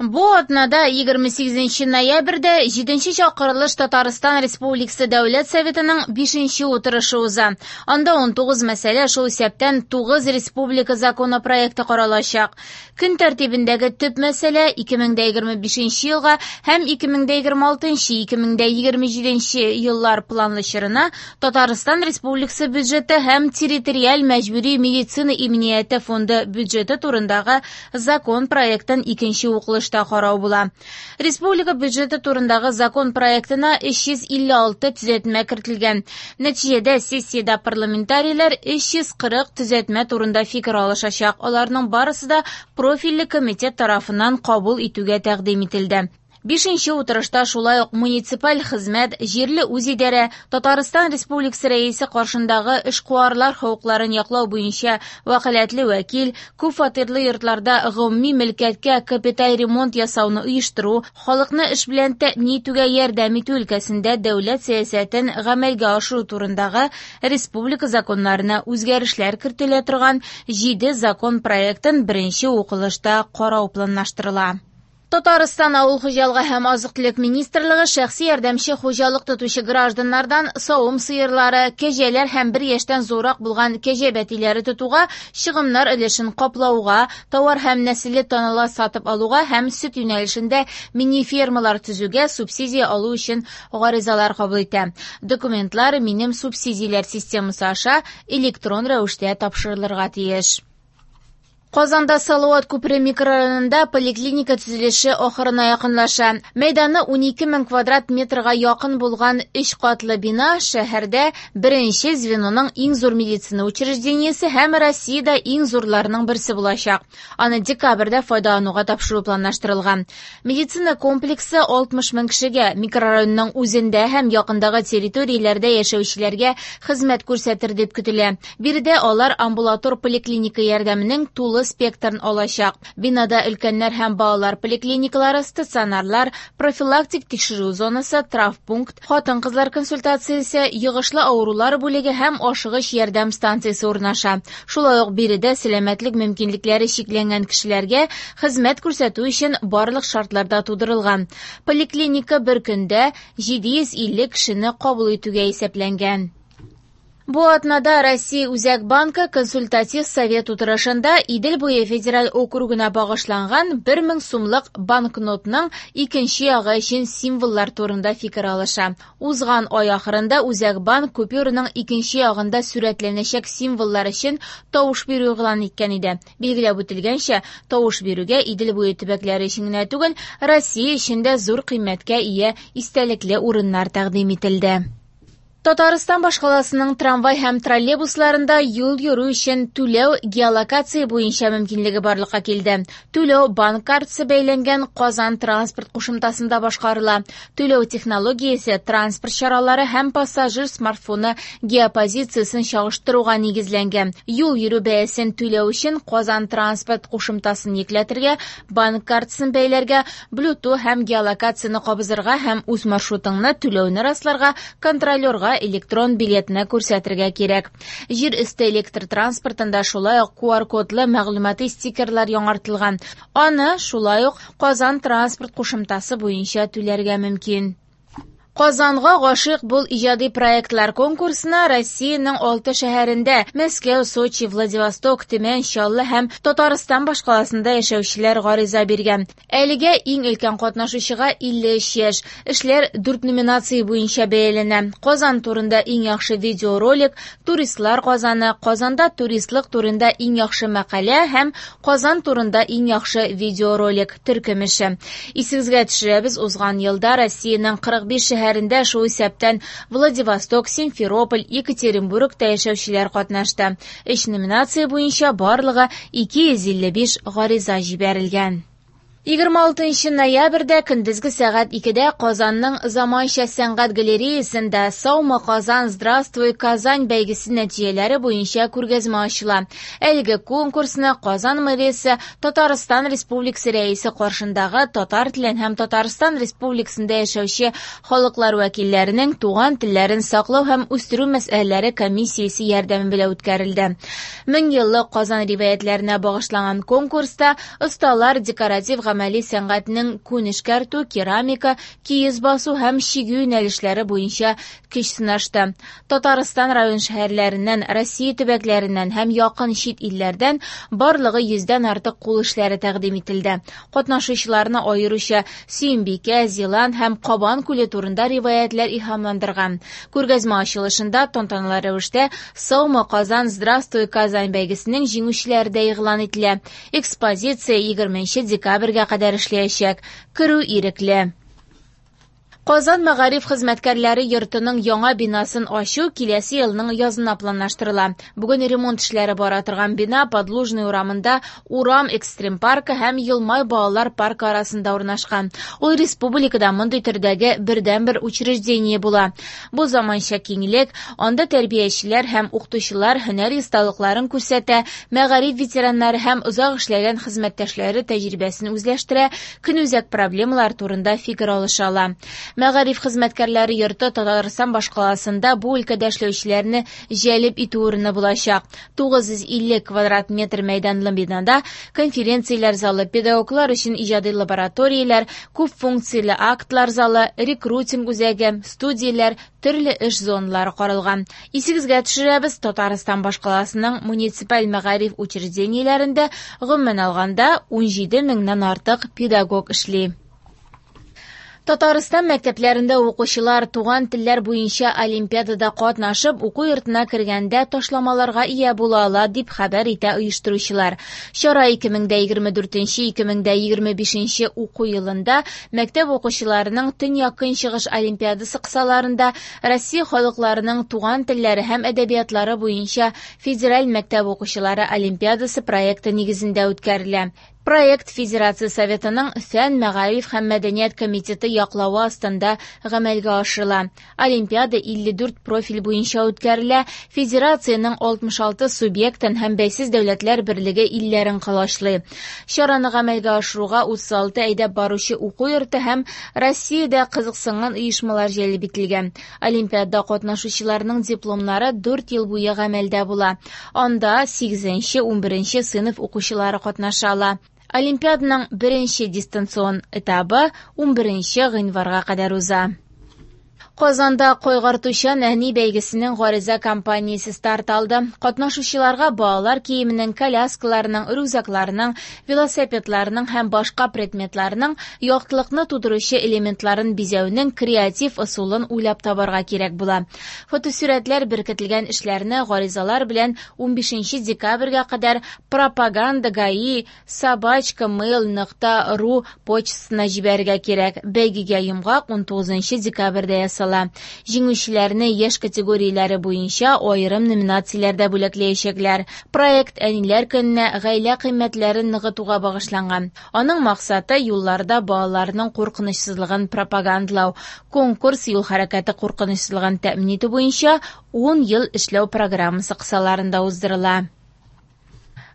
Бу атнада 28 ноябрьдә 7 чакырылыш Татарстан Республикасы Дәүләт Советының 5 утырышы уза. Анда 19 мәсьәлә, шул исәптән 9 республика законопроекты каралачак. Көн тәртибендәге төп мәсьәлә 2025 елга һәм 2026-2027 еллар планлы чорына Татарстан Республикасы бюджеты һәм территориаль мәҗбүри медицина иминияте фонды бюджеты турындагы закон проектын икенче укылышта карау була. Республика бюджеты турындагы закон проектына 356 төзәтмә кертелгән. Нәтиҗәдә сессиядә парламентарийлар 340 төзәтмә турында фикер алышачак. Аларның барысы да профильле комитет тарафыннан кабул итүгә тәкъдим ителде. Бишенче утырышта шулай ук муниципаль хезмәт, җирле үзидарә, Татарстан Республикасы Рәисе каршындагы эшкуарлар хокукларын яклау буенча вәкаләтле вәкил, күп фатирлы йортларда гомуми мөлкәткә капиталь ремонт ясауны оештыру, халыкны эш белән тәэмин итүгә ярдәм итү өлкәсендә дәүләт сәясәтен гамәлгә ашыру турындагы республика законнарына үзгәрешләр кертелә торган 7 закон проектын беренче укылышта карау планлаштырыла. Татарстан авыл хуҗалыгы һәм азык-төлек министрлыгы шәхси ярдәмче хуҗалык тотучы гражданнардан савым сыерлары, кәҗәләр һәм бер яшьтән зуррак булган кәҗә бәтиләре тотуга чыгымнар өлешен каплауга, товар һәм нәселле таналар сатып алуга һәм сөт юнәлешендә мини-фермалар төзүгә субсидия алу өчен гаризалар кабул итә. Документлар Минем субсидияләр системасы аша электрон рәвештә тапшырылырга тиеш. Казанда Салават күпере микрорайонында поликлиника төзелеше ахырына якынлаша. Мәйданы 12 мең квадрат метрга якын булган өч катлы бина шәһәрдә беренче звеноның иң зур медицина учреждениесе һәм Россиядә иң зурларының берсе булачак. Аны декабрьдә файдалануга тапшыру планлаштырылган. Медицина комплексы 60 мең кешегә, микрорайонның үзендә һәм якындагы территорияләрдә яшәүчеләргә хезмәт күрсәтер дип көтелә. Биредә алар амбулатор поликлиника ярдәменең тулы спектрын алачак. Бинада өлкәннәр һәм балалар поликлиникалары, стационарлар, профилактик тикшерү зонасы, травмпункт, хатын-кызлар консультациясе, йогышлы авырулар бүлеге һәм ашыгыч ярдәм станциясе урнаша. Шулай ук биредә сәламәтлек мөмкинлекләре чикләнгән кешеләргә хезмәт күрсәтү өчен барлык шартлар да тудырылган. Поликлиника бер көндә 750 кешене кабул итүгә исәпләнгән. Бу атнада Россия Үзәк банкы консультатив совет утырышында Идел буе федераль округына багышланган 1000 сумлык банкнотның икенче ягы өчен символлар турында фикер алыша. Узган ай ахырында Үзәк банк купюраның икенче ягында сурәтләнәчәк символлар өчен тавыш бирү игълан иткән иде. Билгеләп үтелгәнчә, тавыш бирүгә Идел буе төбәкләре өчен генә түгел, Россия өчен дә зур кыйммәткә ия истәлекле урыннар тәкъдим ителде. Татарстан башкаласының трамвай һәм троллейбусларында юл йөрү өчен түләү геолокация буенча мөмкинлеге барлыкка килде. Түләү банк картасы бәйләнгән Казан транспорт кушымтасында башкарыла. Түләү технологиясе транспорт чаралары һәм пассажир смартфоны геопозициясен чагыштыруга нигезләнгән. Юл йөрү бәясен түләү өчен Казан транспорт кушымтасын йөкләтергә, банк картасын бәйләргә, Bluetooth һәм геолокацияне кабызырга һәм үз маршрутыңны түләүне расларга контролерга электрон билетны күрсәтергә кирәк. Җир өсте электр транспортында шулай ук QR-кодлы мәгълүмати стикерлар яңартылган. Аны шулай ук Казан транспорт кушымтасы буенча түләргә мөмкин. Казанга гашыйк бул иҗади проектлар конкурсына Россиянең 6 шәһәрендә Мәскәү, Сочи, Владивосток, Төмән, Чаллы һәм Татарстан башкаласында яшәүчеләр гариза биргән. Әлегә иң өлкән катнашучыга 53 яшь. Эшләр 4 номинация буенча бәяләнә. Казан турында иң яхшы видеоролик, туристлар Казаны, Казанда туристлык турында иң яхшы мәкалә һәм Казан турында иң яхшы видеоролик төркем эше. Исегезгә төшерәбез, узган елда Россиянең 45 шәһәрендә, шул исәптән Владивосток, Симферополь, Екатеринбургта яшәүчеләр катнашты. Өч номинация буенча барлыгы 255 гариза җибәрелгән. 26 ноябрьдә көндезге сәгать 2дә Казанның заманча сәнгать галереясында «Саумы Казан, здравствуй, Казань» бәйгесе нәтиҗәләре буенча күргәзмә ачыла. Әлеге конкурсны Казан мэриясе Татарстан Республикасы Рәисе каршындагы татар телен һәм Татарстан Республикасында яшәүче халыклар вәкилләренең туган телләрен саклау һәм үстерү мәсьәләләре комиссиясе ярдәме белән үткәрелде. Меңьеллык Казан риваятләренә багышланган конкурста осталар декоратив гамәли сәнгатьнең күн эшкәртү, керамика, киез басу һәм чигү юнәлешләре буенча көч сынашты. Татарстан район-шәһәрләреннән, Россия төбәкләреннән һәм якын чит илләрдән барлыгы 100дән артык кул эшләре тәкъдим ителде. Катнашучыларны аеруча Сөембикә, Зилант һәм Кабан күле турында риваятьләр илһамландырган. Күргәзмә ачылышында тантаналы рәвештә «Саумы, Казан, здравствуй, Казань» бәйгесенең җиңүчеләре дә игълан ителә. Экспозиция 20 декабрьгә кадәр эшләячәк. Керү ирекле. Казан мәгариф хезмәткәрләре йортының яңа бинасын ачу киләсе елның язына планлаштырыла. Бүген ремонт эшләре бара торган бина Подлужный урамында Урам экстрим паркы һәм Елмай балалар паркы арасында урнашкан. Ул республикада мондый төрдәге бердәнбер учреждение була. Бу заманча киңлек, анда тәрбиячеләр һәм укытучылар һөнәри осталыкларын күрсәтә, мәгариф ветераннары һәм озак эшләгән хезмәттәшләре тәҗрибәсен үзләштерә, көнүзәк проблемалар турында фикер алыша ала. Мәгариф хезмәткәрләре йорты Татарстан башкаласында бу өлкәдә эшләүчеләрне җәлеп итү урыны булачак. 950 квадрат метр мәйданлы бинада конференцияләр залы, педагоглар өчен иҗади лабораторияләр, күп функцияле актлар залы, рекрутинг үзәге, студияләр, төрле эш зоналары каралган. Исегезгә төшерәбез, Татарстан башкаласының муниципаль мәгариф учреждениеләрендә гомумән алганда 17 меңнән артык педагог эшли. Татарстан мәктәпләрендә укучылар туган телләр буенча олимпиадада катнашып, уку йортына кергәндә ташламаларга ия була ала, дип хәбәр итә оештыручылар. Чара 2024-2025 уку елында мәктәп укучыларының Төньяк-Көнчыгыш олимпиадасы кысаларында Россия халыкларының туган телләре һәм әдәбиятлары буенча федераль мәктәп укучылары олимпиадасы проекты нигезендә үткәрелә. Проект Федерация Советының Фән, мәгариф һәм мәдәният комитеты яклавы астында гамәлгә ашырыла. Олимпиада 54 профиль буенча үткәрелә, Федерациянең 66 субъектын һәм бәйсез дәүләтләр берлеге илләрен колачлый. Чараны гамәлгә ашыруга 36 әйдәп баручы уку йорты һәм Россиядә кызыксынган оешмалар җәлеп ителгән. Олимпиадада катнашучыларның дипломнары 4 ел буе гамәлдә була. Анда 8-11 сыйныф укучылары катнаша ала. Олимпиаданың беренче дистанцион этабы 11 гыйнварга кадәр уза. Казанда кайгыртучан әни бәйгесенең гариза кампаниясе старт алды. Катнашучыларга балалар киеменең, коляскаларының, рюкзакларының, велосипедларының һәм башка предметларның яктылыкны тудыручы элементларын бизәүнең креатив ысулын уйлап табарга кирәк була. Фотосурәтләр беркетелгән эшләрне гаризалар белән 15 декабрьгә кадәр пропаганда гаи @mail.ru почтасына җибәрергә кирәк. Бәйгегә йомгак 19 декабрьдә ясала. Җиңүчеләрне яшь категорияләре буенча аерым номинацияләрдә бүләкләячәкләр. Проект Әниләр көненә гаилә кыйммәтләрен ныгытуга багышланган. Аның максаты юлларда балаларның куркынычсызлыгын пропагандалау. Конкурс юл хәрәкәте куркынычсызлыгын тәэмин итү буенча 10 ел эшләү программасы кысаларында уздырыла.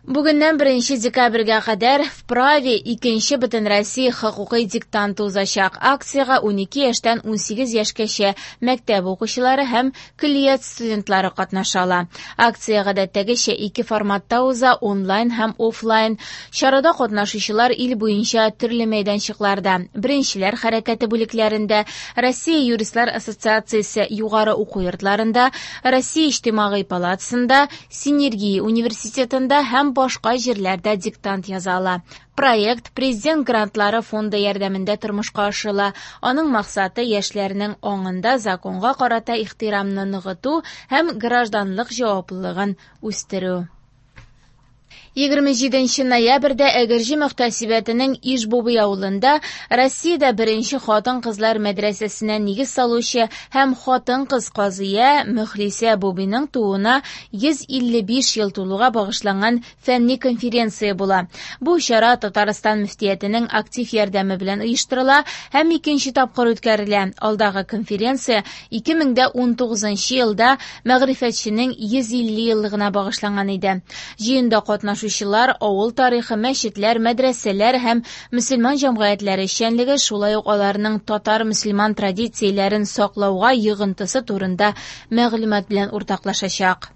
Бүгеннән 1 декабрьгә кадәр «Вправе» икенче Бөтенроссия хокукый диктанты узачак. Акциягә 12 яшьтән 18 яшькәчә мәктәп укучылары һәм көллият студентлары катнаша ала. Акция гадәттәгечә ике форматта уза: онлайн һәм офлайн. Чарада катнашучылар ил буенча төрле мәйданчыкларда, Беренчеләр хәрәкәте бүлекләрендә, Россия юристлар ассоциациясе югары уку йортларында, Россия иҗтимагый палатасында, Синергия университетында һәм башка җирләрдә диктант яза ала. Проект Президент грантлары фонды ярдәмендә тормышка ашырыла. Аның максаты яшьләрнең аңында законга карата ихтирамны ныгыту һәм гражданлык җаваплылыгын үстерү. 27 ноябрьдә Әгерҗе мөхтәсибәтенең Иж-Бубый авылында Россиядә беренче хатын-кызлар мәдрәсәсенә нигез салучы һәм хатын-кыз казыя Мөхлисә Бубиның тууына 155 ел тулуга багышланган фәнни конференция була. Бу чара Татарстан мөфтиятенең актив ярдәме белән оештырыла һәм икенче тапкыр үткәрелә. Алдагы конференция 2019 елда мәгърифәтченең 150 еллыгына багышланган иде. Җыенда катнашучылар авыл тарихы, мәчетләр, мәдрәсәләр һәм мөселман җәмгыятьләре эшчәнлеге, шулай ук аларның татар мөселман традицияләрен саклауга йогынтысы турында мәгълүмат белән уртаклашачак.